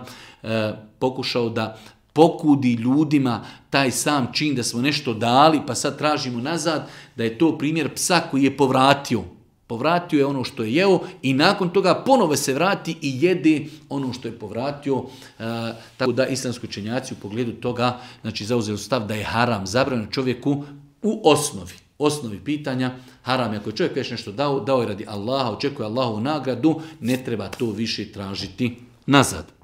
A: pokušao da pokudi ljudima taj sam čin da smo nešto dali pa sad tražimo nazad, da je to primjer psa koji je povratio. Povratio je ono što je jeo i nakon toga ponovo se vrati i jede ono što je povratio. E, tako da islamski učenjaci u pogledu toga znači zauzeli stav da je haram, zabranjeno čovjeku u osnovi. Osnovi pitanja, haram je ako je čovjek već nešto dao, dao je radi Allaha, očekuje Allahovu nagradu, ne treba to više tražiti nazad.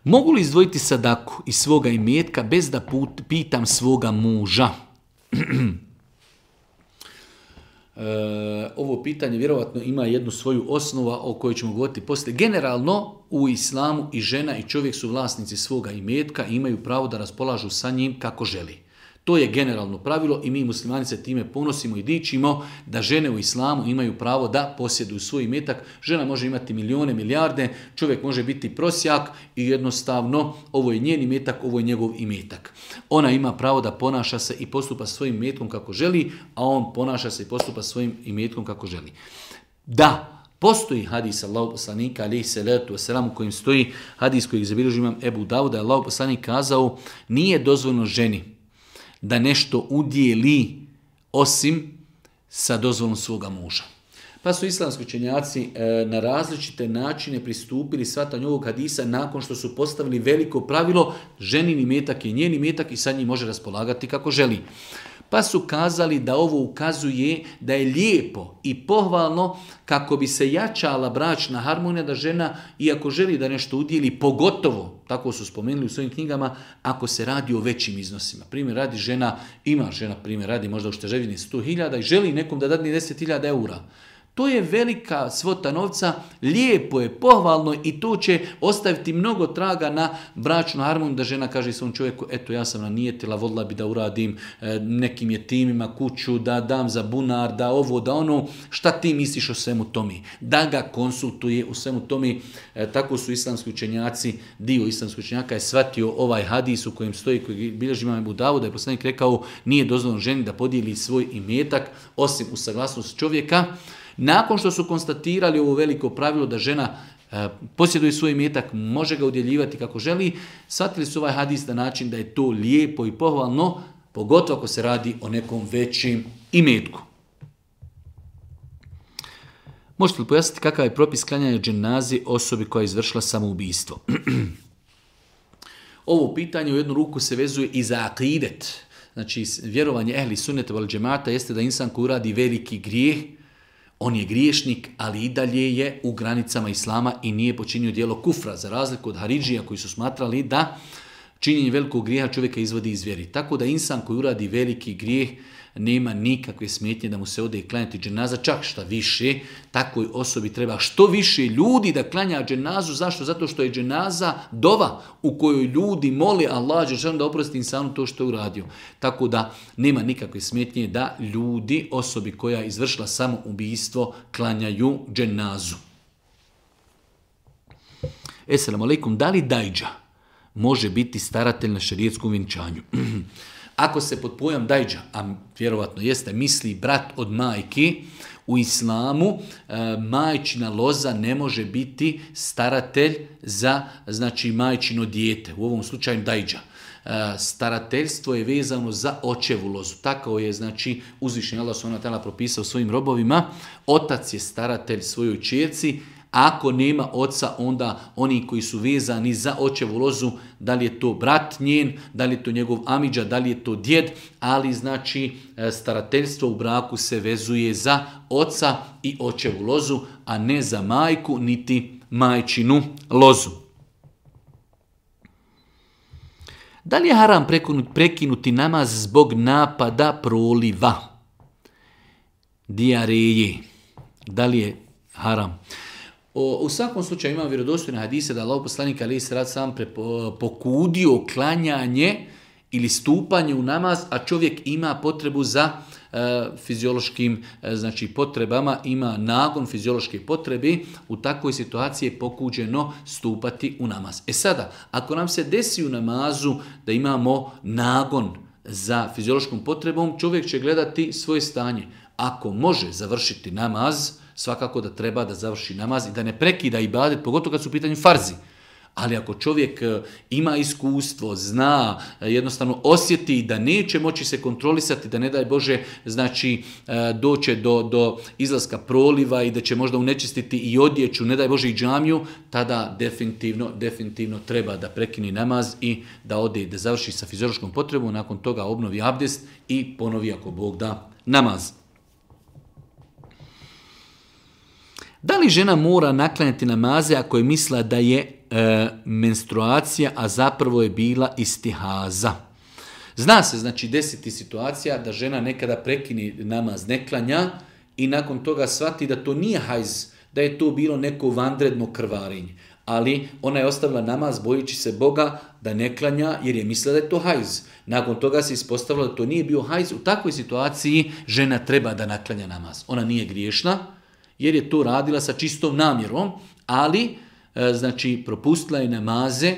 A: Mogu li izdvojiti sadaku iz svoga imetka bez da put, pitam svoga muža? E, ovo pitanje vjerovatno ima jednu svoju osnovu o kojoj ćemo govoriti poslije. Generalno u islamu i žena i čovjek su vlasnici svoga imetka i imaju pravo da raspolažu sa njim kako želi. To je generalno pravilo i mi muslimani se time ponosimo i dičimo da žene u islamu imaju pravo da posjeduju svoj imetak. Žena može imati milijone, milijarde, čovjek može biti prosjak i jednostavno ovo je njen imetak, ovo je njegov imetak. Ona ima pravo da ponaša se i postupa svojim imetkom kako želi, a on ponaša se i postupa svojim imetkom kako želi. Da, postoji hadis Allahov poslanika alejhi selatu vesselam u kojem stoji hadis kojeg zabilježi imam Ebu Davud, da je Allahov poslanik kazao nije dozvoljeno ženi da nešto udjeli osim sa dozvolom svoga muža. Pa su islamski učenjaci e, na različite načine pristupili shvatanju ovog hadisa nakon što su postavili veliko pravilo ženin imetak je njen imetak i sa njim može raspolagati kako želi. Pa su kazali da ovo ukazuje da je lijepo i pohvalno kako bi se jačala bračna harmonija da žena, iako želi da nešto udjeli, pogotovo, tako su spomenuli u svojim knjigama, ako se radi o većim iznosima. Primjer radi žena, ima žena primjer radi možda u šteževini sto hiljada i želi nekom da dadne deset hiljada eura. To je velika svota novca, lijepo je, pohvalno i to će ostaviti mnogo traga na bračnu harmoniju da žena kaže svom čovjeku, eto ja sam nanijetila, volila bi da uradim e, nekim jetimima kuću, da dam za bunar, da ovo, da ono, šta ti misliš o svemu tome? Da ga konsultuje u svemu tome, e, tako su islamski učenjaci, dio islamskih učenjaka je shvatio ovaj hadis u kojem stoji, koji bilježi imam Ebu Davud, da je poslanik rekao, nije dozvoljeno ženi da podijeli svoj imetak, osim u saglasnost čovjeka. Nakon što su konstatirali ovo veliko pravilo da žena e, posjeduje svoj imetak, može ga udjeljivati kako želi, shvatili su ovaj hadis na način da je to lijepo i pohvalno, pogotovo ako se radi o nekom većim imetku. Možete li pojasniti kakav je propis klanjanja dženazi osobi koja je izvršila samoubistvo? Ovo pitanje u jednu ruku se vezuje i za akidet. Znači, vjerovanje ehli sunneta vel džemata jeste da insan koji uradi veliki grijeh, on je griješnik, ali i dalje je u granicama islama i nije počinio djelo kufra, za razliku od haridžija koji su smatrali da činjenje velikog grijeha čovjeka izvodi iz vjeri. Tako da insan koji uradi veliki grijeh nema nikakve smetnje da mu se ode i klanjati dženaza, čak šta više, takvoj osobi treba što više ljudi da klanja dženazu. Zašto? Zato što je dženaza dova u kojoj ljudi mole Allah da oprosti insanu to što je uradio. Tako da nema nikakve smetnje da ljudi, osobi koja je izvršila samo ubijstvo, klanjaju dženazu. Esselamu alaikum, da li dajđa može biti staratelj na šerijetskom vjenčanju? Ako se pod pojam dajđa, a vjerovatno jeste, misli brat od majki, u islamu e, majčina loza ne može biti staratelj za, znači, majčino dijete, u ovom slučaju dajđa. E, starateljstvo je vezano za očevu lozu. Tako je, znači, uzvišeni Allah subhanahu wa ta'ala propisao svojim robovima. Otac je staratelj svojoj ćerci. Ako nema oca, onda oni koji su vezani za očevu lozu, da li je to brat njen, da li je to njegov amidža, da li je to djed, ali znači starateljstvo u braku se vezuje za oca i očevu lozu, a ne za majku niti majčinu lozu. Da li je haram prekinuti namaz zbog napada proliva, dijareje? Da li je haram? O, u svakom slučaju imam vjerodostojne hadise da Allahov poslanik alejhi selatu selam pokudio klanjanje ili stupanje u namaz, a čovjek ima potrebu za e, fiziološkim e, znači potrebama, ima nagon fiziološke potrebe, u takvoj situaciji je pokuđeno stupati u namaz. E sada, ako nam se desi u namazu da imamo nagon za fiziološkom potrebom, čovjek će gledati svoje stanje. Ako može završiti namaz, svakako da treba da završi namaz i da ne prekida ibadet, pogotovo kad su u pitanju farzi. Ali ako čovjek ima iskustvo, zna, jednostavno osjeti da neće moći se kontrolisati, da ne daj Bože, znači doće do, do izlaska proliva i da će možda unečistiti i odjeću, ne daj Bože i džamiju, tada definitivno, definitivno treba da prekini namaz i da ode, da završi sa fiziološkom potrebom, nakon toga obnovi abdest i ponovi ako Bog da namaz. Da li žena mora naklanjati namaze ako je mislila da je e, menstruacija, a zapravo je bila istihaza? Zna se, znači, desiti situacija da žena nekada prekini namaz, ne klanja i nakon toga shvati da to nije hajz, da je to bilo neko vanredno krvarenje. Ali ona je ostavila namaz bojeći se Boga da ne klanja jer je mislila da je to hajz. Nakon toga se ispostavilo da to nije bio hajz. U takvoj situaciji žena treba da naklanja namaz. Ona nije griješna, jer je to radila sa čistom namjerom, ali e, znači propustila je namaze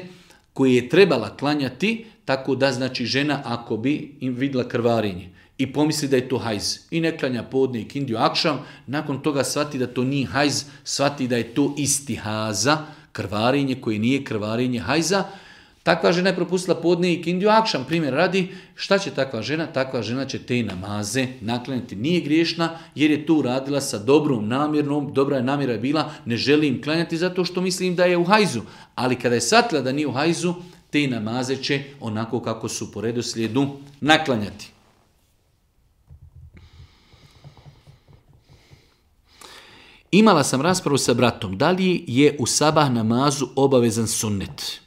A: koje je trebala klanjati, tako da znači žena ako bi im vidjela krvarenje i pomisli da je to hajz i ne klanja podne i kindiju akšam, nakon toga shvati da to nije hajz, shvati da je to istihaza, krvarenje koje nije krvarenje hajza. Takva žena je propustila podne i kindiju akšam, primjer radi, šta će takva žena? Takva žena će te namaze naklanjati. Nije griješna jer je to uradila sa dobrom namjernom, dobra je namjera bila, ne želim klanjati zato što mislim da je u hajzu. Ali kada je shvatila da nije u hajzu, te namaze će onako kako su po redoslijedu naklanjati. Imala sam raspravu sa bratom, da li je u sabah namazu obavezan sunnet?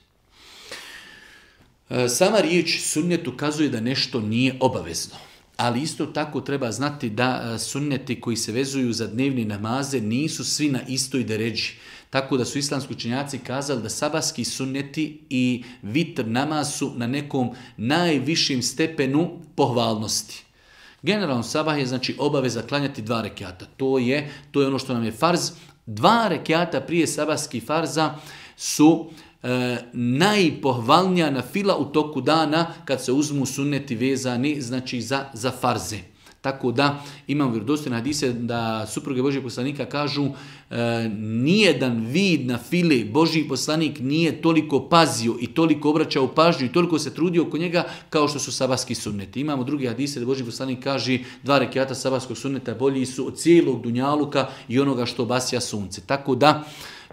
A: Sama riječ sunnet ukazuje da nešto nije obavezno. Ali isto tako treba znati da sunneti koji se vezuju za dnevne namaze nisu svi na istoj deređi. Tako da su islamski učenjaci kazali da sabahski sunneti i vitr namaz su na nekom najvišim stepenu pohvalnosti. Generalno sabah je znači obaveza klanjati dva rekiata. To je, to je ono što nam je farz. Dva rekiata prije sabahskih farza su e, najpohvalnija nafila u toku dana kad se uzmu sunneti vezani znači za, za farze. Tako da imam vjerodostojne hadise da supruge Božjeg poslanika kažu e, nijedan vid na file Božji poslanik nije toliko pazio i toliko obraćao pažnju i toliko se trudio oko njega kao što su sabahski sunneti. Imamo drugi hadise da Božji poslanik kaže dva rekiata sabahskog sunneta bolji su od cijelog dunjaluka i onoga što basja sunce. Tako da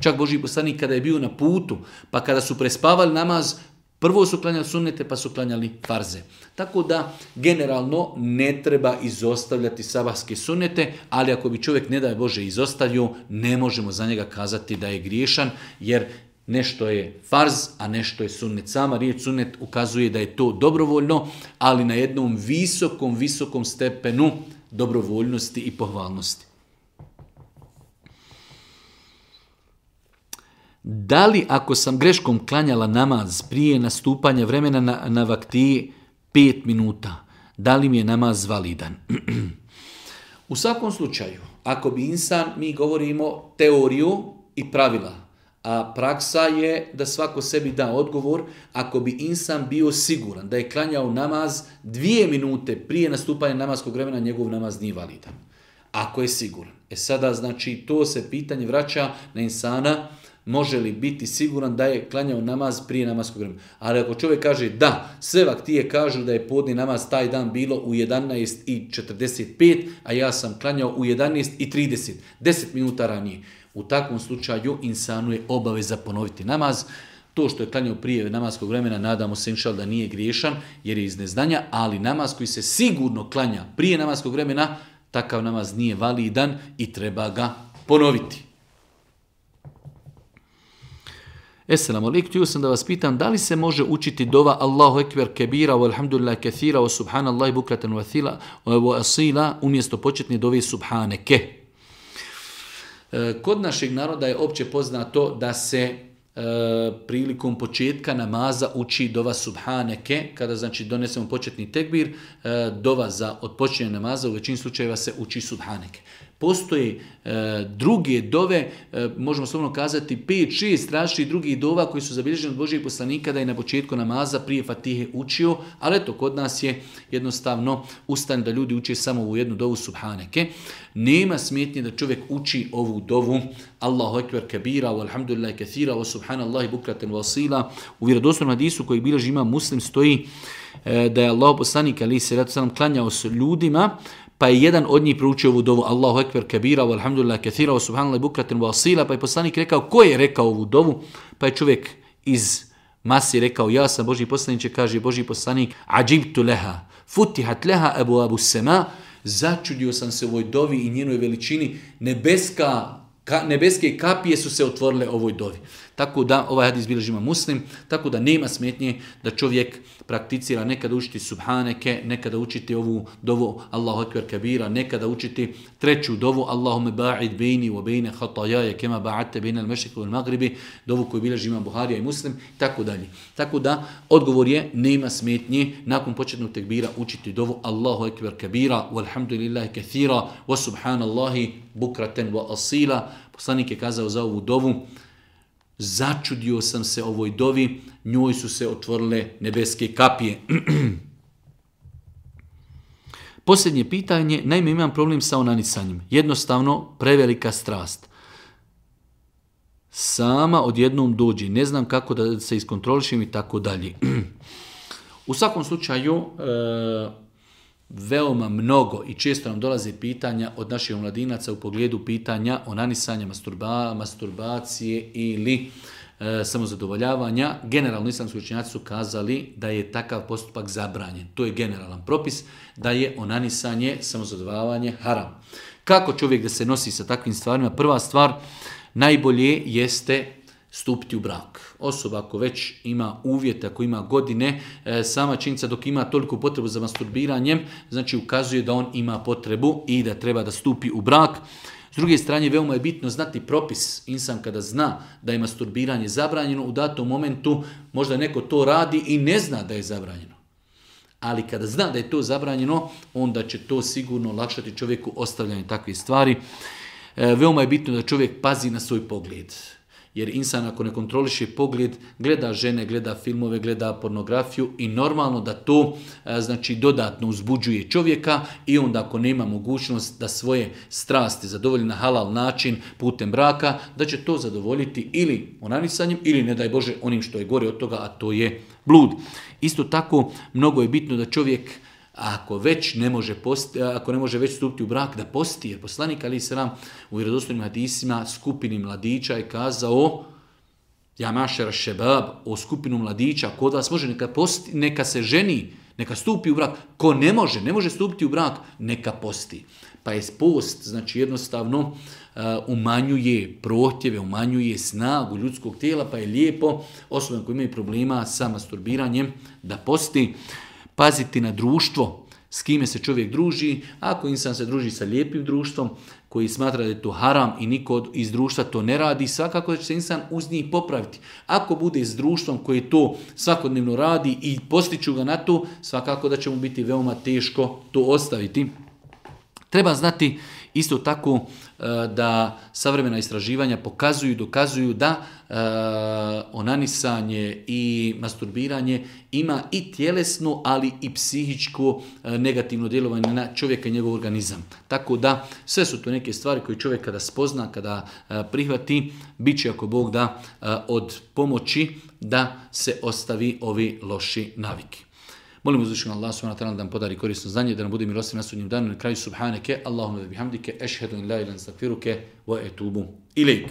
A: čak Božji poslanik kada je bio na putu pa kada su prespavali namaz, prvo su klanjali sunnete, pa su klanjali farze. Tako da, generalno, ne treba izostavljati sabahske sunnete, ali ako bi čovjek, ne daj Bože, izostavio, ne možemo za njega kazati da je griješan, jer nešto je farz, a nešto je sunnet. Sama riječ sunnet ukazuje da je to dobrovoljno, ali na jednom visokom, visokom stepenu dobrovoljnosti i pohvalnosti. Da li ako sam greškom klanjala namaz prije nastupanja vremena na, na vaktiji pet minuta, da li mi je namaz validan? U svakom slučaju, ako bi insan, mi govorimo teoriju i pravila, A praksa je da svako sebi da odgovor. Ako bi insan bio siguran da je klanjao namaz dvije minute prije nastupanja namaskog vremena, njegov namaz nije validan. Ako je siguran. E sada, znači, to se pitanje vraća na insana, može li biti siguran da je klanjao namaz prije namaskog vremena. Ali ako čovjek kaže da, sve vaktije kažu da je podni namaz taj dan bilo u jedanaest i četrdeset pet, a ja sam klanjao u jedanaest i trideset, deset minuta ranije. U takvom slučaju insanu je obaveza ponoviti namaz. To što je klanjao prije namaskog vremena, nadamo se inšal da nije griješan jer je iz neznanja, ali namaz koji se sigurno klanja prije namaskog vremena, takav namaz nije validan i treba ga ponoviti. Esselamu alaikum, htio sam da vas pitam da li se može učiti dova Allahu ekber kebira wa alhamdulillah kathira wa subhanallahi bukratan wa wa asila umjesto početne dove subhaneke. Kod našeg naroda je opće poznato da se e, prilikom početka namaza uči dova subhaneke, kada znači donesemo početni tekbir, e, dova za odpočinjanje namaza u većini slučajeva se uči subhaneke. Postoje e, druge dove, e, možemo slobodno kazati pet šest različitih drugih dova koji su zabilježeni od Božijeg poslanika da je na početku namaza prije Fatihe učio, ali eto kod nas je jednostavno ustan da ljudi uče samo u jednu dovu subhaneke. Nema smetnje da čovjek uči ovu dovu Allahu ekber kabira wa alhamdulillah kathira wa subhanallahi bukratan wa asila. U vjerodostojnom hadisu koji bilježi Imam Muslim stoji e, da je Allahu poslanik alejhi selatu selam klanjao s ljudima, pa je jedan od njih proučio ovu dovu Allahu ekber kabira wa alhamdulillah kathira wa subhanallahi bukratan wa asila, pa je poslanik rekao ko je rekao ovu dovu, pa je čovjek iz masi rekao ja sam Božji poslaniče, kaže Božji poslanik ađibtu leha futihat leha abu abu sema, začudio sam se ovoj dovi i njenoj veličini, nebeska Ka, nebeske kapije su se otvorile ovoj dovi. Tako da, ovaj hadis bilježi Imam Muslim, tako da nema smetnje da čovjek prakticira nekada učiti subhaneke, nekada učiti ovu dovu Allahu ekber kabira, nekada učiti treću dovu Allahume ba'id bejni wa bejne hatajaje kema ba'ate bejne al-mešriku wal magribi, dovu koju bilježi Imam Buharija i Muslim, tako dalje. Tako da, odgovor je nema smetnje nakon početnog tekbira učiti dovu Allahu ekber kabira, walhamdulillahi kathira, wa subhanallahi bukraten wa asila. Poslanik je kazao za ovu dovu, začudio sam se ovoj dovi, njoj su se otvorile nebeske kapije. Posljednje pitanje, naime imam problem sa onanisanjem. Jednostavno, prevelika strast. Sama odjednom dođe, ne znam kako da se iskontrolišem i tako dalje. U svakom slučaju, e, veoma mnogo i često nam dolaze pitanja od naših omladinaca u pogledu pitanja onanisanja, masturba, masturbacije ili e, samozadovoljavanja. Generalno islamski učenjaci su kazali da je takav postupak zabranjen. To je generalan propis da je onanisanje, samozadovoljavanje haram. Kako čovjek da se nosi sa takvim stvarima? Prva stvar, najbolje jeste stupiti u brak. Osoba ako već ima uvjete, ako ima godine, e, sama činjenica dok ima toliko potrebu za masturbiranjem, znači ukazuje da on ima potrebu i da treba da stupi u brak. S druge strane, veoma je bitno znati propis. Insan kada zna da je masturbiranje zabranjeno, u datom momentu možda neko to radi i ne zna da je zabranjeno. Ali kada zna da je to zabranjeno, onda će to sigurno olakšati čovjeku ostavljanje takvih stvari. E, veoma je bitno da čovjek pazi na svoj pogled. Jer insan ako ne kontroliše pogled, gleda žene, gleda filmove, gleda pornografiju i normalno da to znači dodatno uzbuđuje čovjeka i onda ako nema mogućnost da svoje strasti zadovolji na halal način putem braka, da će to zadovoljiti ili onanisanjem ili ne daj Bože onim što je gore od toga, a to je blud. Isto tako mnogo je bitno da čovjek ako već ne može posti, ako ne može već stupiti u brak, da posti, jer poslanik alejhi selam u vjerodostojnim hadisima skupini mladića je kazao ja mašera šebab, o skupinu mladića, kod vas može neka posti, neka se ženi, neka stupi u brak. Ko ne može, ne može stupiti u brak, neka posti. Pa je post, znači jednostavno uh, umanjuje prohtjeve, umanjuje snagu ljudskog tijela, pa je lijepo osobama koji imaju problema sa masturbiranjem da posti. Paziti na društvo, s kime se čovjek druži. Ako insan se druži sa lijepim društvom, koji smatra da je to haram i niko iz društva to ne radi, svakako će se insan uz njih popraviti. Ako bude s društvom koji to svakodnevno radi i postiću ga na to, svakako da će mu biti veoma teško to ostaviti. Treba znati isto tako da savremena istraživanja pokazuju i dokazuju da onanisanje i masturbiranje ima i tjelesno, ali i psihičko negativno djelovanje na čovjeka i njegov organizam. Tako da sve su to neke stvari koje čovjek kada spozna, kada prihvati, bit će ako Bog da od pomoći da se ostavi ovi loši naviki. Molim uzvišenog Allah subhanahu wa ta'ala da nam podari korisno znanje, da nam bude milostiv na sudnjem danu. Na kraju subhaneke, Allahumma bihamdike, ešhedu in la ilaha illa anta, astaghfiruke wa etubu ilejk.